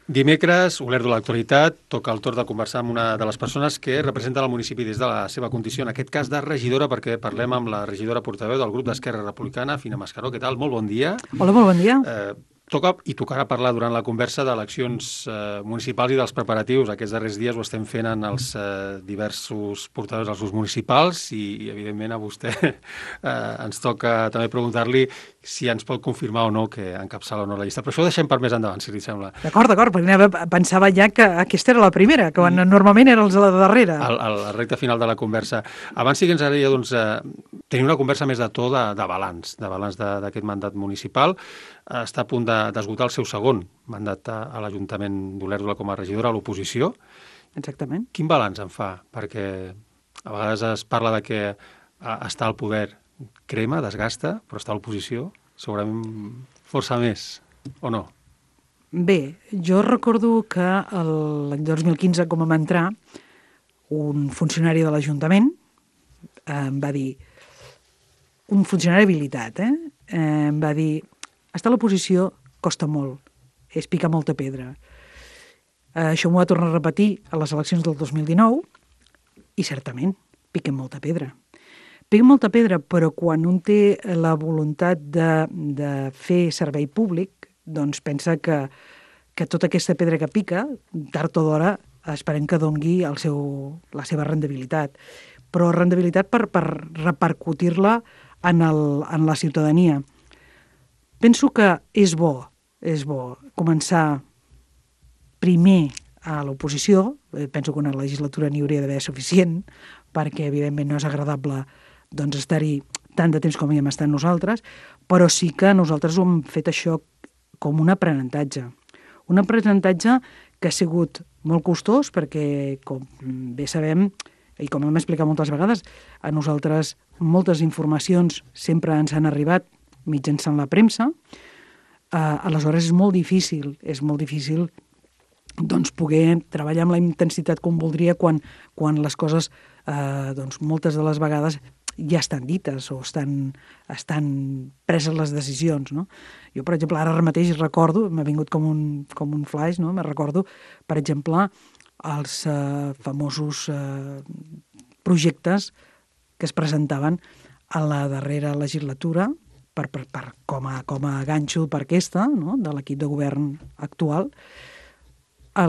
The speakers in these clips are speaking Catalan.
Dimecres, Olèrdola de l'actualitat, toca el torn de conversar amb una de les persones que representa el municipi des de la seva condició, en aquest cas de regidora, perquè parlem amb la regidora portaveu del grup d'Esquerra Republicana, Fina Mascaró. Què tal? Molt bon dia. Hola, molt bon dia. Tocarà parlar durant la conversa d'eleccions municipals i dels preparatius. Aquests darrers dies ho estem fent en els diversos portaveus dels grups municipals i evidentment, a vostè ens toca també preguntar-li si ens pot confirmar o no que encapçala o no la llista. Però això ho deixem per més endavant, si li sembla. D'acord, perquè pensava ja que aquesta era la primera, que normalment era els de la darrera. La recta final de la conversa. Abans sí que ens agradaria tenir una conversa més de to de balanç d'aquest mandat municipal. Està a punt d'esgotar el seu segon mandat a l'Ajuntament d'Olèrdola com a regidora a l'oposició. Exactament. Quin balanç en fa? Perquè a vegades es parla de que estar al poder crema, desgasta, però estar a l'oposició segurament força més, o no? Bé, jo recordo que l'any 2015, com vam entrar, un funcionari de l'Ajuntament em va dir, un funcionari habilitat, em va dir: estar a l'oposició costa molt, és picar molta pedra. Això m'ho va tornar a repetir a les eleccions del 2019 i certament piquem molta pedra. Piquem molta pedra, però quan un té la voluntat de fer servei públic, doncs pensa que tota aquesta pedra que pica, tard o d'hora, esperem que dongui la seva rendibilitat. Però rendibilitat per repercutir-la en la ciutadania. Penso que és bo començar primer a l'oposició. Penso que una legislatura n'hi hauria d'haver suficient, perquè evidentment no és agradable estar-hi tant de temps com hi hem estat nosaltres, però sí que nosaltres ho hem fet això com un aprenentatge. Un aprenentatge que ha sigut molt costós perquè, com bé sabem, i com hem explicat moltes vegades, a nosaltres moltes informacions sempre ens han arribat mitjançant la premsa. Aleshores és molt difícil poder treballar amb la intensitat com voldria quan les coses, moltes de les vegades, ja estan dites o estan preses les decisions, no? Jo, per exemple, ara mateix recordo, m'ha vingut com un flash, no? Me recordo, per exemple, els famosos projectes que es presentaven a la darrera legislatura com a ganxo per aquesta, no? De l'equip de govern actual, a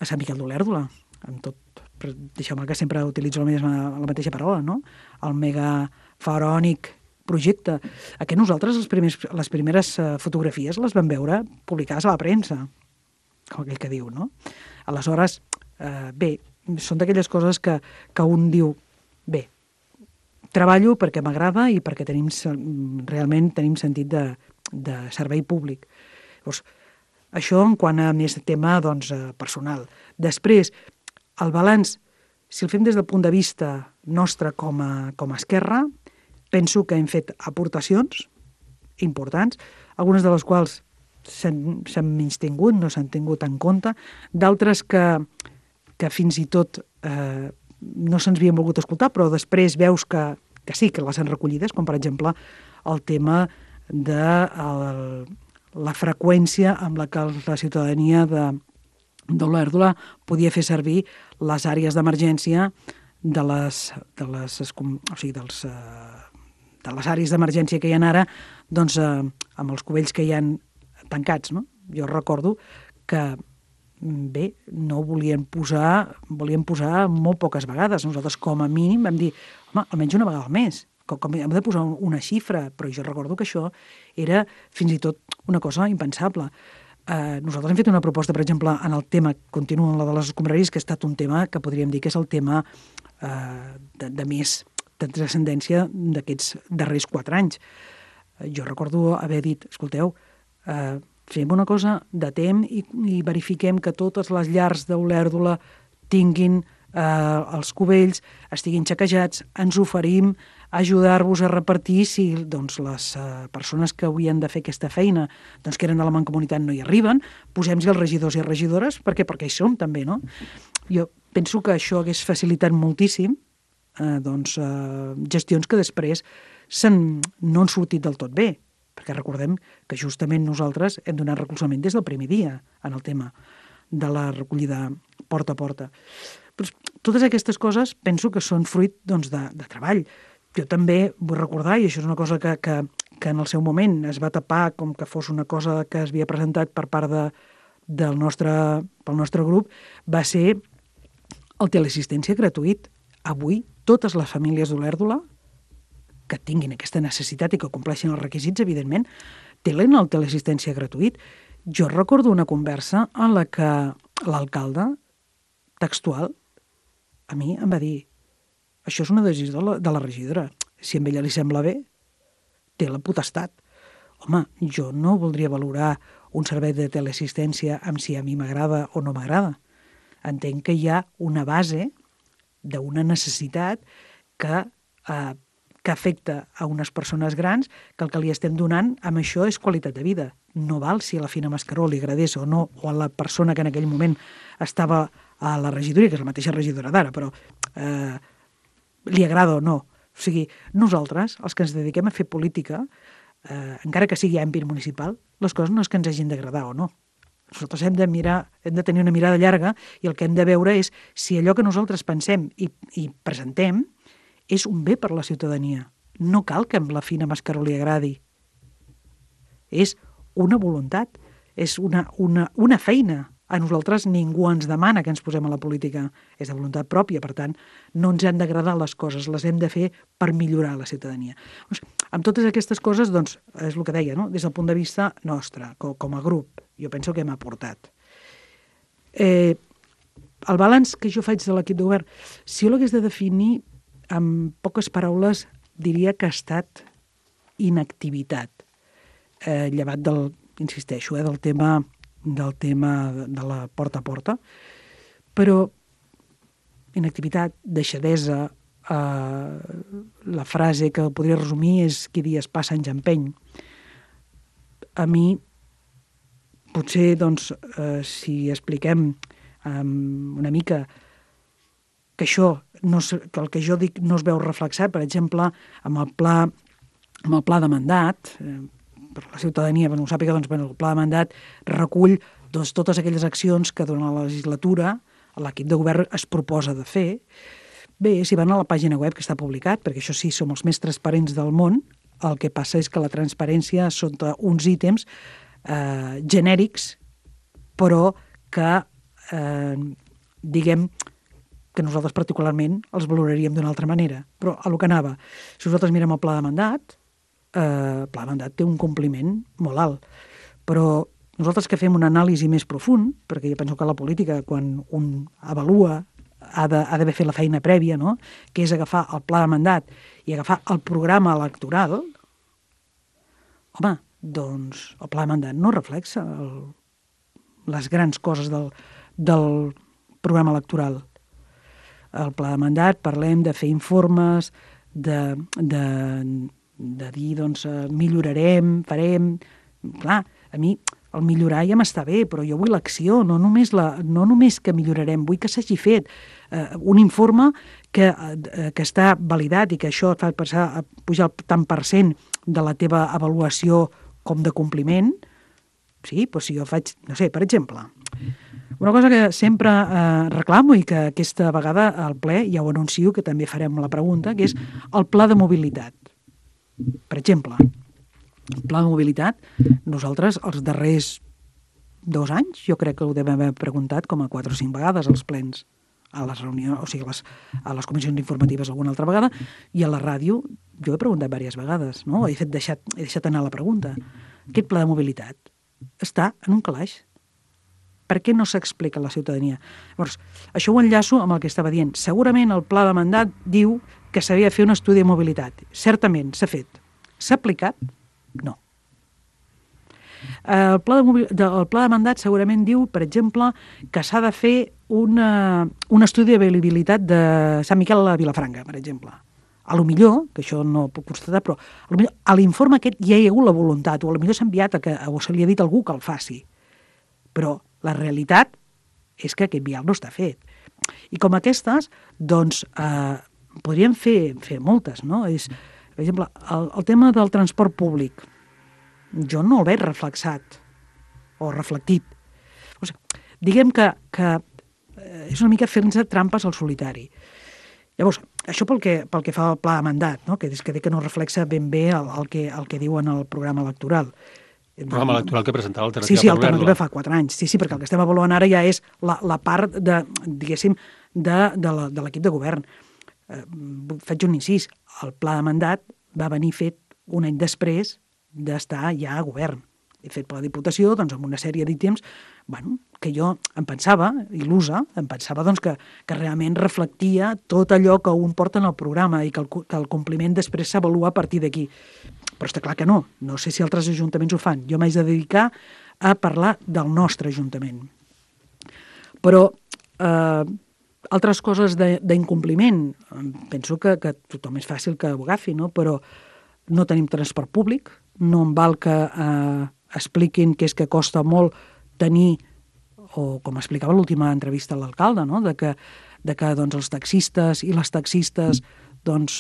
Sant Miquel d'Olèrdola, amb tot. Deixeu-me que sempre utilitzo la mateixa paraula, no? El megafaraònic projecte. Aquest nosaltres les primeres fotografies les vam veure publicades a la premsa, com aquell que diu, no? Aleshores, bé, són d'aquelles coses que un diu, bé, treballo perquè m'agrada i perquè realment tenim sentit de servei públic. Llavors, això en quant a més tema personal. Després, el balanç, si el fem des del punt de vista nostre com a Esquerra, penso que hem fet aportacions importants, algunes de les quals s'han menystingut, no s'han tingut en compte, d'altres que fins i tot no se'ns havien volgut escoltar, però després veus que sí, que les han recollides, com per exemple el tema de la freqüència amb la que la ciutadania d'Olèrdola podia fer servir les àrees d'emergència de les àrees d'emergència que hi ha ara, amb els cubells que hi ha tancats, no? Jo recordo que, bé, no volien posar molt poques vegades. Nosaltres, com a mínim, vam dir, home, almenys una vegada al mes. Hem de posar una xifra, però jo recordo que això era fins i tot una cosa impensable. Nosaltres hem fet una proposta, per exemple, en el tema, continua en la de les escombraries, que ha estat un tema que podríem dir que és el tema de més de transcendència d'aquests darrers 4 anys. Jo recordo haver dit, escolteu, fem una cosa, datem i verifiquem que totes les llars d'Olèrdola tinguin els cubells, estiguin xequejats, ens oferim a ajudar-vos a repartir si les persones que havien de fer aquesta feina, que eren de la mancomunitat, no hi arriben, posem-hi els regidors i regidores, perquè hi som també, no? Jo penso que això hagués facilitat moltíssim gestions que després no han sortit del tot bé. perquè recordem que justament nosaltres hem donat recolzament des del primer dia en el tema de la recollida porta a porta. Però totes aquestes coses penso que són fruit doncs, de treball. Jo també vull recordar, i això és una cosa que en el seu moment es va tapar com que fos una cosa que es havia presentat per part pel nostre grup, va ser el teleassistència gratuït. Avui, totes les famílies d'Olèrdola que tinguin aquesta necessitat i que compleixin els requisits, evidentment, tenen el teleassistència gratuït. Jo recordo una conversa en la que l'alcalde textual a mi em va dir: això és una decisió de la regidora. Si a ella li sembla bé, té la potestat. Home, jo no voldria valorar un servei de teleassistència amb si a mi m'agrada o no m'agrada. Entenc que hi ha una base d'una necessitat que afecta a unes persones grans, que el que li estem donant amb això és qualitat de vida. No val si a la Fina Mascaró li agradés o no, o a la persona que en aquell moment estava a la regidoria, que és la mateixa regidora d'ara, però li agrada o no. O sigui, nosaltres, els que ens dediquem a fer política, encara que sigui a àmbit municipal, les coses no és que ens hagin d'agradar o no. Nosaltres hem de tenir una mirada llarga i el que hem de veure és si allò que nosaltres pensem i presentem és un bé per a la ciutadania. No cal que amb la Fina Mascaró li agradi. És una voluntat, és una feina. A nosaltres ningú ens demana que ens posem a la política. És de voluntat pròpia, per tant, no ens han d'agradar les coses, les hem de fer per millorar la ciutadania. Doncs, amb totes aquestes coses, doncs, és el que deia, no? Des del punt de vista nostre, com a grup, jo penso que hem aportat. El balanç que jo faig de l'equip de govern, si jo l'hagués de definir amb poques paraules, diria que ha estat inactivitat, llevat insisteixo, del tema de la porta a porta, però inactivitat, deixadesa, la frase que podria resumir és qui dies passa anys empeny. A mi, potser, doncs, si expliquem una mica que que el que jo dic no es veu reflexat, per exemple, amb el pla de mandat, per la ciutadania, no ho sàpiga, doncs, el pla de mandat recull totes aquelles accions que durant la legislatura l'equip de govern es proposa de fer. Bé, si van a la pàgina web que està publicat, perquè això sí, som els més transparents del món, el que passa és que la transparència sota uns ítems genèrics, però que, diguem, que nosaltres particularment els valoraríem d'una altra manera. Però a lo que anava, si nosaltres mirem el pla de mandat, el pla de mandat té un compliment molt alt, però nosaltres que fem una anàlisi més profund, perquè jo penso que la política, quan un avalua, ha d'haver fet la feina prèvia, no? Que és agafar el pla de mandat i agafar el programa electoral, home, doncs el pla de mandat no reflexa les grans coses del programa electoral. El pla de mandat parlem de fer informes, de dir, doncs, millorarem, farem. Clar, a mi el millorar ja m'està bé, però jo vull l'acció, no només que millorarem, vull que s'hagi fet un informe que està validat i que això et fa pujar el tant per cent de la teva avaluació com de compliment. Sí, doncs si jo faig, no sé, per exemple, una cosa que sempre reclamo i que aquesta vegada al ple ja ho anuncio, que també farem la pregunta, que és el pla de mobilitat. Per exemple, el pla de mobilitat, nosaltres els darrers 2 anys, jo crec que ho devem haver preguntat com a 4 o 5 vegades als plens, a les reunions, o sigui, a les comissions informatives alguna altra vegada, i a la ràdio jo he preguntat diverses vegades, no? He deixat anar la pregunta. Aquest pla de mobilitat està en un calaix. Per què no s'explica a la ciutadania? Llavors, això ho enllaço amb el que estava dient. Segurament el pla de mandat diu que s'havia de fer un estudi de mobilitat. Certament, s'ha fet. S'ha aplicat? No. El pla de mandat segurament diu, per exemple, que s'ha de fer un estudi de viabilitat de Sant Miquel a la Vilafranca, per exemple. A lo millor, que això no ho puc constatar, però a l'informe aquest ja hi ha hagut la voluntat, o a lo millor s'ha enviat o se li ha dit a algú que el faci. Però la realitat és que aquest vial no està fet. I com aquestes, doncs, podríem fer moltes, no? Per exemple, el tema del transport públic. jo no el veig reflexat o reflectit. O sigui, diguem que és una mica fer-nos trampes al solitari. Llavors, això pel que fa al pla de mandat, no? que dic que no reflexa ben bé el que diuen al programa electoral. El programa electoral que presentava Alternativa sí, per Obert-la. Alternativa fa 4 anys. Sí, perquè el que estem avaluant ara ja és la part de, diguéssim, de l'equip de govern. Faig un incís. El pla de mandat va venir fet un any després d'estar ja a govern. He fet per la Diputació, doncs, amb una sèrie d'ítems, que jo em pensava, il·lusa, doncs, que realment reflectia tot allò que un porta en el programa i que el compliment després s'avalua a partir d'aquí. Però està clar que no. No sé si altres ajuntaments ho fan. Jo m'haig de dedicar a parlar del nostre ajuntament. Però altres coses d'incompliment, penso que tothom és fàcil que ho agafi, no? Però no tenim transport públic, no em val que expliquin que és que costa molt tenir, o com explicava l'última entrevista a l'alcalde, no? de que doncs, els taxistes i les taxistes doncs,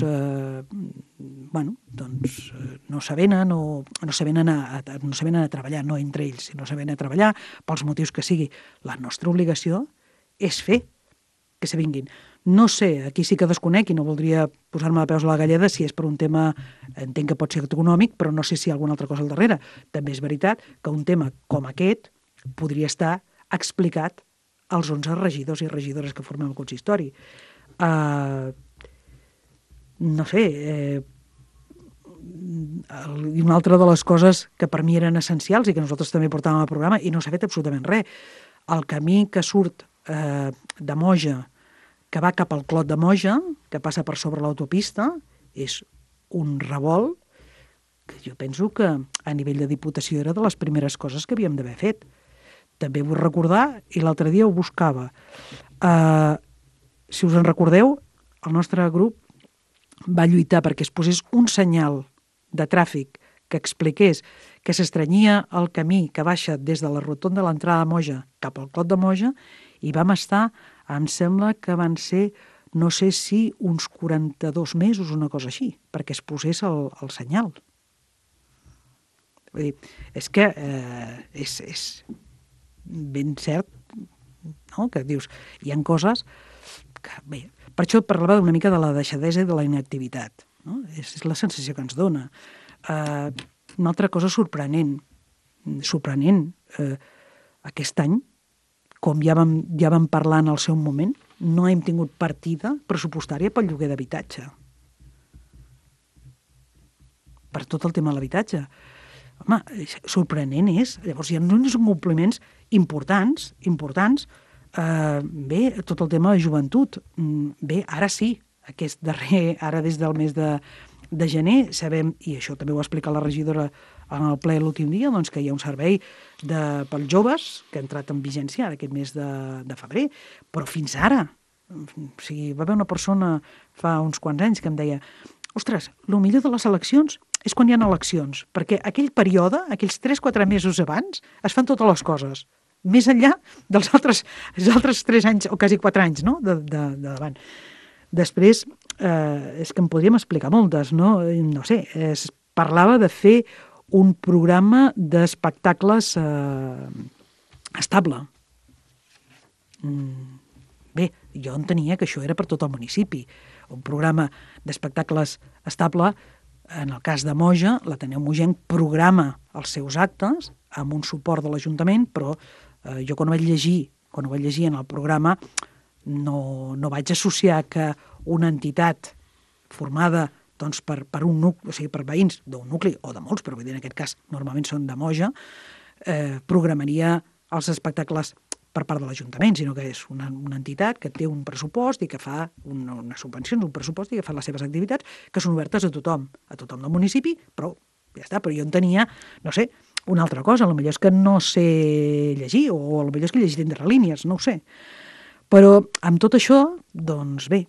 no s'avenen a treballar, no entre ells, sinó s'avenen a treballar pels motius que sigui. La nostra obligació és fer que se vinguin. No sé, aquí sí que desconec i no voldria posar-me de peus a la galleda si és per un tema, entenc que pot ser econòmic, però no sé si hi ha alguna altra cosa al darrere. També és veritat que un tema com aquest podria estar explicat als 11 regidors i regidores que formem el consistori. No sé, i una altra de les coses que per mi eren essencials i que nosaltres també portàvem al programa i no s'ha fet absolutament res. El camí que surt de Moja, que va cap al Clot de Moja, que passa per sobre l'autopista, és un revolt que jo penso que a nivell de Diputació era de les primeres coses que havíem d'haver fet. També vull recordar, i l'altre dia ho buscava, si us en recordeu, el nostre grup va lluitar perquè es posés un senyal de tràfic que expliqués que s'estrenyia el camí que baixa des de la rotonda de l'entrada de Moja cap al Clot de Moja, i vam estar, em sembla que van ser, no sé si uns 42 mesos o una cosa així, perquè es posés el senyal. Vull dir, és que és ben cert, no? Que dius, hi ha coses que, bé, per això parlava una mica de la deixadesa i de la inactivitat, no? És la sensació que ens dona. Una altra cosa sorprenent, aquest any, com ja vam parlar en el seu moment, no hem tingut partida pressupostària pel lloguer d'habitatge. Per tot el tema de l'habitatge. Home, sorprenent és. Llavors, hi ha uns compliments importants. Bé, tot el tema de joventut. Bé, ara sí, aquest darrer, ara des del mes de gener, sabem, i això també ho ha explicat la regidora en el ple l'últim dia, doncs que hi ha un servei pels joves que ha entrat en vigència aquest mes de febrer, però fins ara, o sigui, va haver una persona fa uns quants anys que em deia: ostres, el millor de les eleccions és quan hi ha eleccions, perquè aquell període, aquells 3-4 mesos abans, es fan totes les coses, més enllà dels altres 3 anys, o quasi 4 anys, no?, de davant. Després, és que en podríem explicar moltes, no? No sé, es parlava de fer un programa d'espectacles estable. Bé, jo entenia que això era per tot el municipi. Un programa d'espectacles estable, en el cas de Moja, l'Ateneu Mogenc programa els seus actes amb un suport de l'Ajuntament, però jo quan ho vaig llegir en el programa no vaig associar que una entitat formada doncs, per un nucli, o sigui, per veïns d'un nucli, o de molts, però vull dir, en aquest cas normalment són de Moja, programaria els espectacles per part de l'Ajuntament, sinó que és una entitat que té un pressupost i que fa unes subvencions, un pressupost i que fa les seves activitats que són obertes a tothom del municipi, però ja està. Però jo en tenia, no sé, una altra cosa, potser és que no sé llegir, o potser és que he llegit entre línies, no ho sé. Però amb tot això, doncs bé,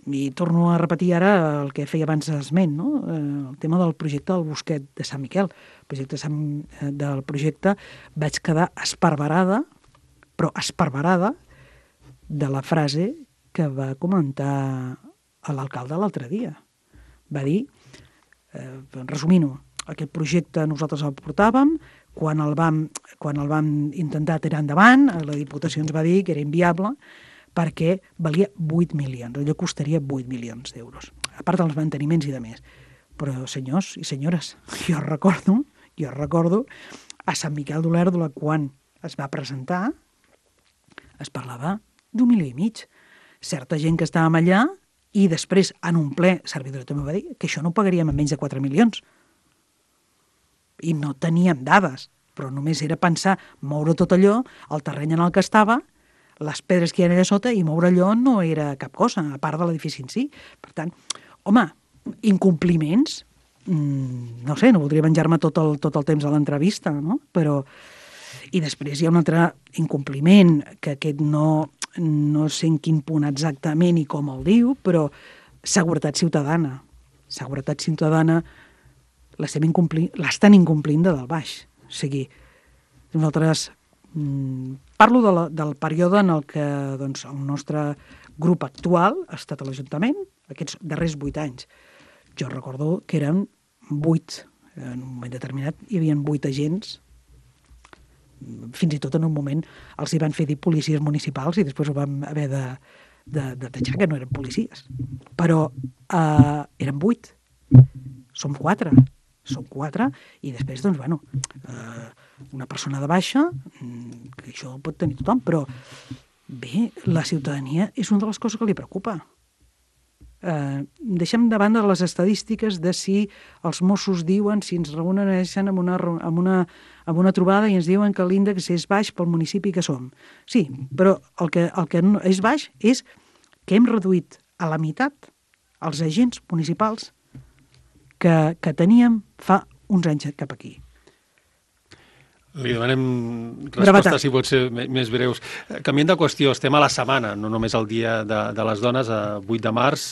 i torno a repetir ara el que feia abans esment, no? El tema del projecte del Bosquet de Sant Miquel. Del projecte vaig quedar esparverada, però esparverada, de la frase que va comentar l'alcalde l'altre dia. Va dir, resumint-ho, aquest projecte nosaltres el portàvem, quan el vam intentar tirar endavant, la Diputació ens va dir que era inviable perquè valia 8 milions, allò costaria 8 milions d'euros, a part dels manteniments i de més. Però, senyors i senyores, jo recordo a Sant Miquel d'Olèrdola, quan es va presentar, es parlava d'1,5 milions. Certa gent que estàvem allà, i després, en un ple, servidor també va dir que això no ho pagaríem a menys de 4 milions. I no teníem dades, però només era pensar moure tot allò, el terreny en el que estava, les pedres que hi ha allà sota, i moure allò no era cap cosa, a part de l'edifici en si. Per tant, home, incompliments, no sé, no voldria menjar-me tot el temps de l'entrevista, no? Però... I després hi ha un altre incompliment, que aquest no sé en quin punt exactament i com el diu, però seguretat ciutadana. Seguretat ciutadana l'estan incomplint de dalt baix. O sigui, nosaltres... parlo del període en el que doncs, el nostre grup actual ha estat a l'Ajuntament, aquests darrers 8 anys. Jo recordo que eren 8, en un moment determinat hi havia 8 agents, fins i tot en un moment els hi van fer dir policies municipals i després ho vam haver de tatxar que no eren policies. Però eren 8, som 4, i després, doncs, bueno, una persona de baixa, que això ho pot tenir tothom, però bé, la ciutadania és una de les coses que li preocupa. Deixem de banda les estadístiques de si els Mossos diuen, si ens reuneixen amb una trobada i ens diuen que l'índex és baix pel municipi que som. Sí, però el que no és baix és que hem reduït a la meitat els agents municipals que teníem fa uns anys cap aquí. Li demanem respostes, si pot ser més breus. Canviant de qüestió, estem a la setmana, no només el dia de les dones, 8 de març,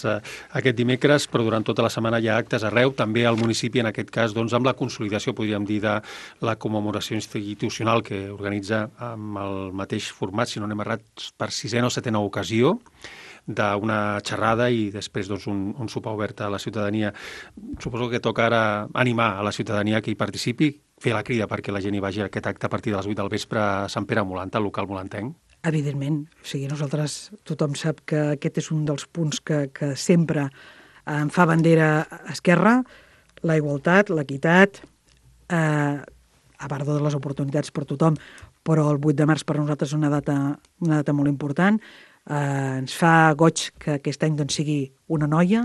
aquest dimecres, però durant tota la setmana hi ha actes arreu, també al municipi, en aquest cas, doncs, amb la consolidació, podríem dir, de la commemoració institucional que organitza amb el mateix format, si no anem errats, per 6a o 7a ocasió, d'una xerrada i després doncs, un sopar obert a la ciutadania. Suposo que toca ara animar a la ciutadania que hi participi, fer la crida perquè la gent hi vagi a aquest acte a partir de les 8 del vespre a Sant Pere Molant, al local molantenc. Evidentment. O sigui, nosaltres, tothom sap que aquest és un dels punts que sempre en fa bandera Esquerra, la igualtat, l'equitat, a part de les oportunitats per tothom, però el 8 de març per nosaltres és una data molt important. Ens fa goig que aquest any doncs, sigui una noia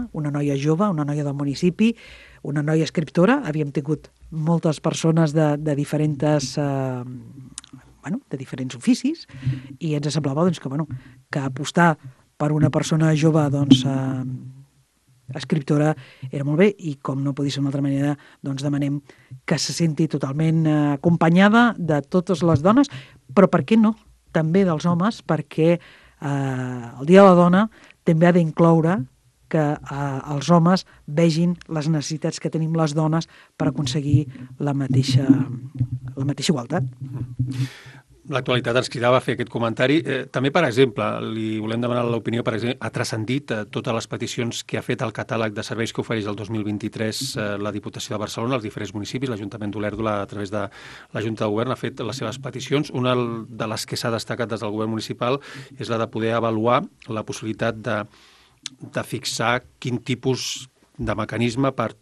jove, una noia del municipi, una noia escriptora. Havíem tingut moltes persones de diferents oficis i ens semblava doncs, que apostar per una persona jove doncs, escriptora era molt bé i com no podia ser d'una altra manera doncs demanem que se senti totalment acompanyada de totes les dones, però per què no? També dels homes, perquè el Dia de la Dona també ha d'incloure que els homes vegin les necessitats que tenim les dones per aconseguir la mateixa igualtat. L'actualitat ens cridava a fer aquest comentari. També, per exemple, li volem demanar l'opinió, per exemple, ha transcendit totes les peticions que ha fet el catàleg de serveis que ofereix el 2023 la Diputació de Barcelona, els diferents municipis, l'Ajuntament d'Olèrdola, a través de la Junta de Govern, ha fet les seves peticions. Una de les que s'ha destacat des del govern municipal és la de poder avaluar la possibilitat de fixar quin tipus de mecanisme per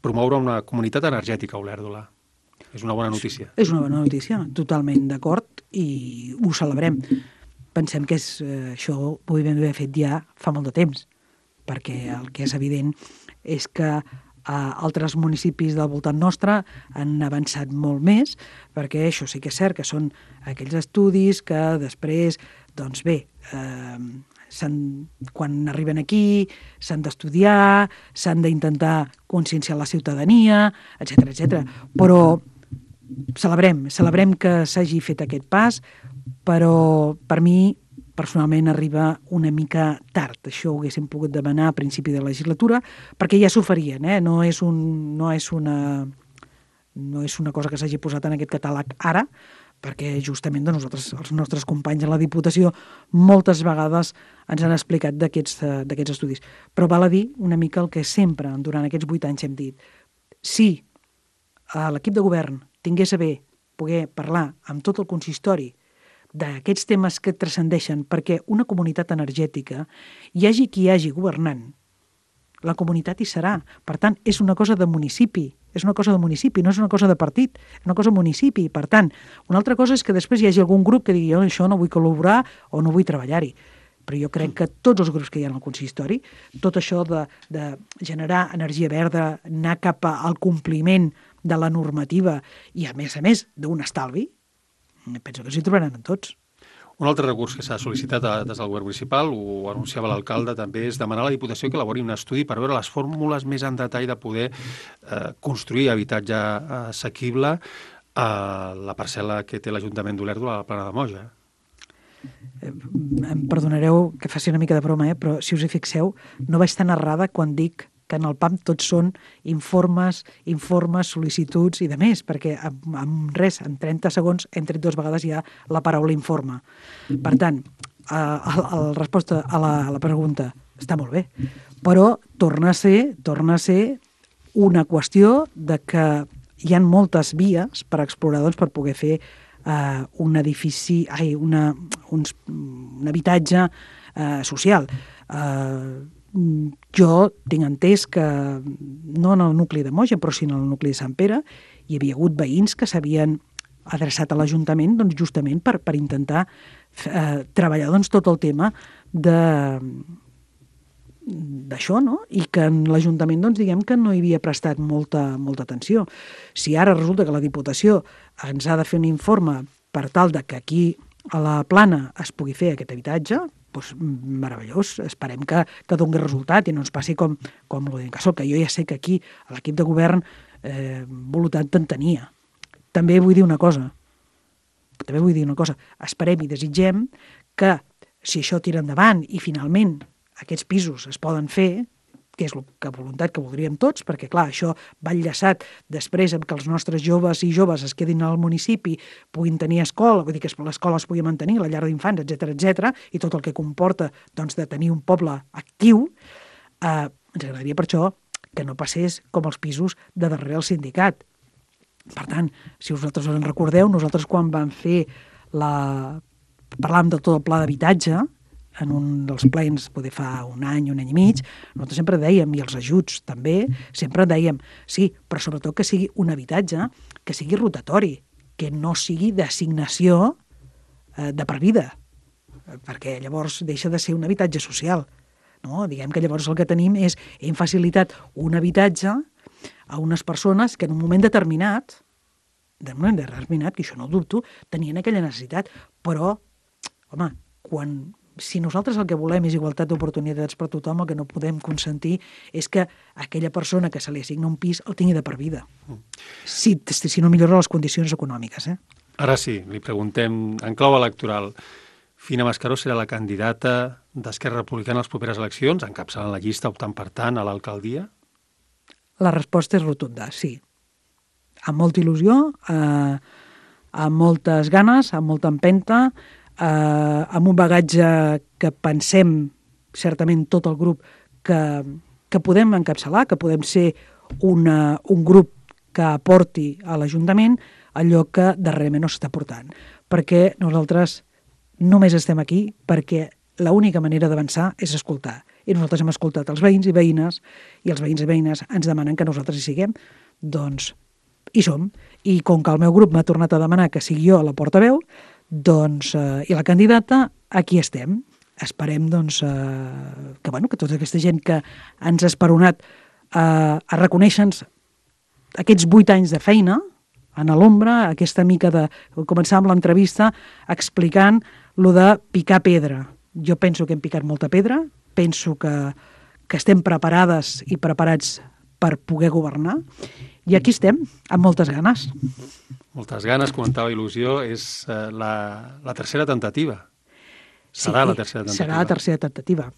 promoure una comunitat energètica a Olèrdola. És una bona notícia. És una bona notícia, totalment d'acord, i ho celebrem. Pensem que això ho podem haver fet ja fa molt de temps, perquè el que és evident és que altres municipis del voltant nostre han avançat molt més, perquè això sí que és cert que són aquells estudis que després, doncs bé, quan arriben aquí s'han d'estudiar, s'han d'intentar conscienciar la ciutadania, etc. Però celebrem que s'hagi fet aquest pas, però per mi personalment arriba una mica tard. Això ho haguéssim pogut demanar a principi de legislatura, perquè ja s'oferien, no és una cosa que s'hagi posat en aquest catàleg ara, perquè justament nosaltres, els nostres companys a la Diputació, moltes vegades ens han explicat d'aquests estudis. Però val a dir una mica el que sempre, durant aquests 8 anys, hem dit. Si l'equip de govern tingués a bé poder parlar amb tot el consistori d'aquests temes que transcendeixen perquè una comunitat energètica, hi hagi qui hi hagi governant, la comunitat hi serà. Per tant, és una cosa de municipi, no és una cosa de partit, és una cosa de municipi. Per tant, una altra cosa és que després hi hagi algun grup que digui jo això no vull col·laborar o no vull treballar-hi. Però jo crec que tots els grups que hi ha al consistori, tot això de generar energia verda, anar cap al compliment de la normativa i, a més, d'un estalvi, penso que s'hi trobaran en tots. Un altre recurs que s'ha sol·licitat des del govern municipal, ho anunciava l'alcalde, també és demanar a la Diputació que elabori un estudi per veure les fórmules més en detall de poder construir habitatge assequible a la parcel·la que té l'Ajuntament d'Olèrdola a la Plana de Moja. Em perdonareu que faci una mica de broma, però si us hi fixeu, no vaig tan errada quan dic que en el PAM tots són informes, sol·licituds i de més, perquè en 30 segons hem tret 2 vegades ja la paraula informe. Per tant, la resposta a la pregunta està molt bé, però torna a ser una qüestió de que hi ha moltes vies per explorar, doncs, per poder fer un edifici, un habitatge social. Jo tinc entès que, no en el nucli de Moja, però sí en el nucli de Sant Pere, hi havia hagut veïns que s'havien adreçat a l'Ajuntament doncs, justament per intentar treballar doncs, tot el tema d'això, no? I que en l'Ajuntament doncs, diguem que no hi havia prestat molta atenció. Si ara resulta que la Diputació ens ha de fer un informe per tal de que aquí a la Plana es pugui fer aquest habitatge, doncs meravellós, esperem que doni resultat i no ens passi com l'Odencasòl, que jo ja sé que aquí a l'equip de govern voluntat en tenia. També vull dir una cosa, esperem i desitgem que si això tira endavant i finalment aquests pisos es poden fer, que és la voluntat que voldríem tots, perquè clar, això va enllaçat després amb que els nostres joves i joves es quedin al municipi, puguin tenir escola, vull dir que l'escola es pugui mantenir, la llar d'infants, etc, i tot el que comporta doncs, de tenir un poble actiu, ens agradaria per això que no passés com els pisos de darrere el sindicat. Per tant, si vosaltres us en recordeu, nosaltres quan vam fer parlàvem de tot el pla d'habitatge, en un dels plens, poder fa un any i mig, nosaltres sempre dèiem, i els ajuts també, sempre dèiem, sí, però sobretot que sigui un habitatge que sigui rotatori, que no sigui d'assignació de per vida, perquè llavors deixa de ser un habitatge social. No? Diguem que llavors el que tenim és, hem facilitat un habitatge a unes persones que en un moment determinat, que això no ho dubto, tenien aquella necessitat, però, home, si nosaltres el que volem és igualtat d'oportunitats per tothom, el que no podem consentir és que aquella persona que se li assigna un pis el tingui de per vida. Si no millora les condicions econòmiques. Ara sí, li preguntem, en clau electoral, Fina Mascaró serà la candidata d'Esquerra Republicana a les properes eleccions, encapçalant la llista, optant per tant a l'alcaldia? La resposta és rotunda, sí. Amb molta il·lusió, amb moltes ganes, amb molta empenta, amb un bagatge que pensem, certament tot el grup, que podem encapçalar, que podem ser un grup que aporti a l'Ajuntament allò que darrerament no s'està portant. Perquè nosaltres només estem aquí perquè l'única manera d'avançar és escoltar. I nosaltres hem escoltat els veïns i veïnes, i els veïns i veïnes ens demanen que nosaltres hi siguem, doncs hi som. I com que el meu grup m'ha tornat a demanar que sigui jo la portaveu, doncs, i la candidata, aquí estem. Esperem doncs, que tota aquesta gent que ens ha esperonat a reconèixer-nos aquests 8 anys de feina en l'ombra, aquesta mica de començar amb l'entrevista explicant lo de picar pedra. Jo penso que hem picat molta pedra, penso que estem preparades i preparats per poder governar, i aquí estem, amb moltes ganes. Moltes ganes, comentava il·lusió, és la tercera tentativa. Serà la tercera tentativa. Serà la tercera tentativa.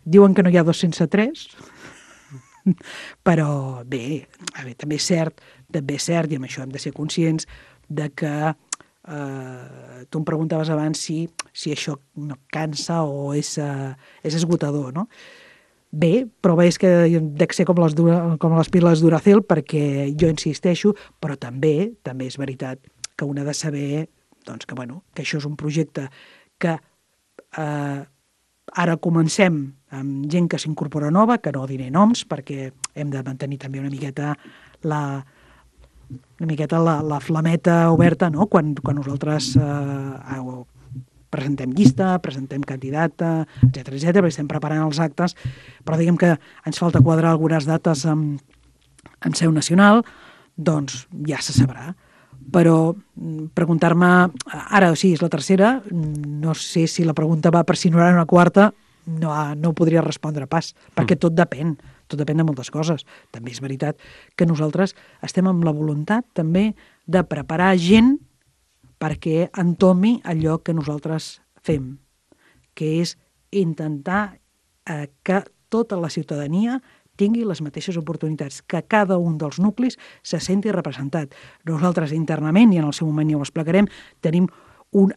Diuen que no hi ha 2 sense 3, però bé, també és cert, i amb això hem de ser conscients, de que tu em preguntaves abans si això no cansa o és esgotador, no? bé, però és que dec ser com les piles Duracell, perquè jo insisteixo, però també és veritat que un ha de saber doncs, que això és un projecte que ara comencem amb gent que s'incorpora nova, que no diré noms, perquè hem de mantenir també una miqueta la flameta oberta, no? Quan nosaltres presentem llista, presentem candidata, etc, perquè estem preparant els actes, però diguem que ens falta quadrar algunes dates en seu nacional, doncs ja se sabrà. Però preguntar-me, ara, sí, és la tercera, no sé si la pregunta va per si no era una quarta, no ho podria respondre pas, perquè tot depèn de moltes coses. També és veritat que nosaltres estem amb la voluntat també de preparar gent perquè entomi allò que nosaltres fem, que és intentar que tota la ciutadania tingui les mateixes oportunitats, que cada un dels nuclis se senti representat. Nosaltres internament, i en el seu moment ja ho explicarem, tenim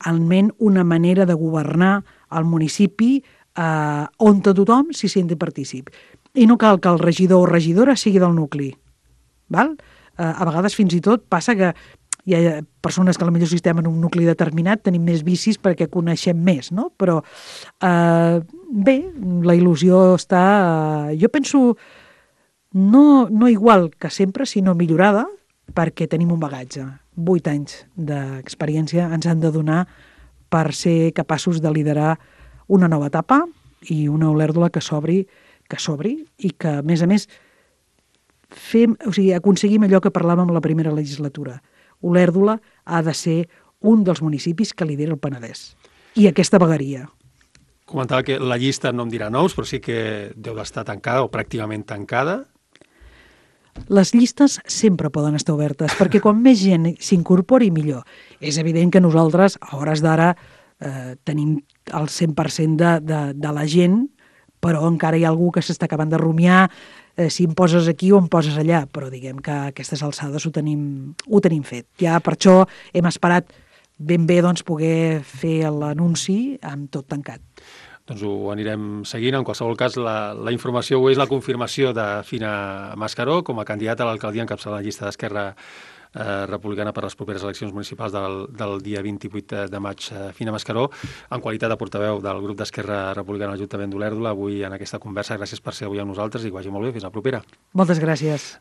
almenys una manera de governar el municipi on tothom s'hi senti partícip. I no cal que el regidor o regidora sigui del nucli. Val? A vegades fins i tot passa que hi ha persones que potser si estem en un nucli determinat tenim més vicis perquè coneixem més, no? Però bé, la il·lusió està, jo penso, no igual que sempre, sinó millorada, perquè tenim un bagatge. 8 anys d'experiència ens han de donar per ser capaços de liderar una nova etapa i una Olèrdola que s'obri i que, a més, aconseguim allò que parlàvem la primera legislatura. Olèrdola ha de ser un dels municipis que lidera el Penedès. I aquesta vegueria. Comentava que la llista no em dirà noms, però sí que deu d'estar tancada o pràcticament tancada. Les llistes sempre poden estar obertes, perquè quan més gent s'incorpori, millor. És evident que nosaltres, a hores d'ara, tenim el 100% de la gent, però encara hi ha algú que s'està acabant de rumiar si em poses aquí o em poses allà, però diguem que a aquestes alçades ho tenim fet. Ja per això hem esperat ben bé poder fer l'anunci amb tot tancat. Doncs ho anirem seguint. En qualsevol cas, la informació avui és la confirmació de Fina Mascaró com a candidata a l'alcaldia encapçalant la llista d'Esquerra Republicana per les properes eleccions municipals del dia 28 de maig. Fina Mascaró, en qualitat de portaveu del grup d'Esquerra Republicana a l'Ajuntament d'Olèrdola, avui en aquesta conversa. Gràcies per ser avui amb nosaltres i que vagi molt bé. Fins la propera. Moltes gràcies.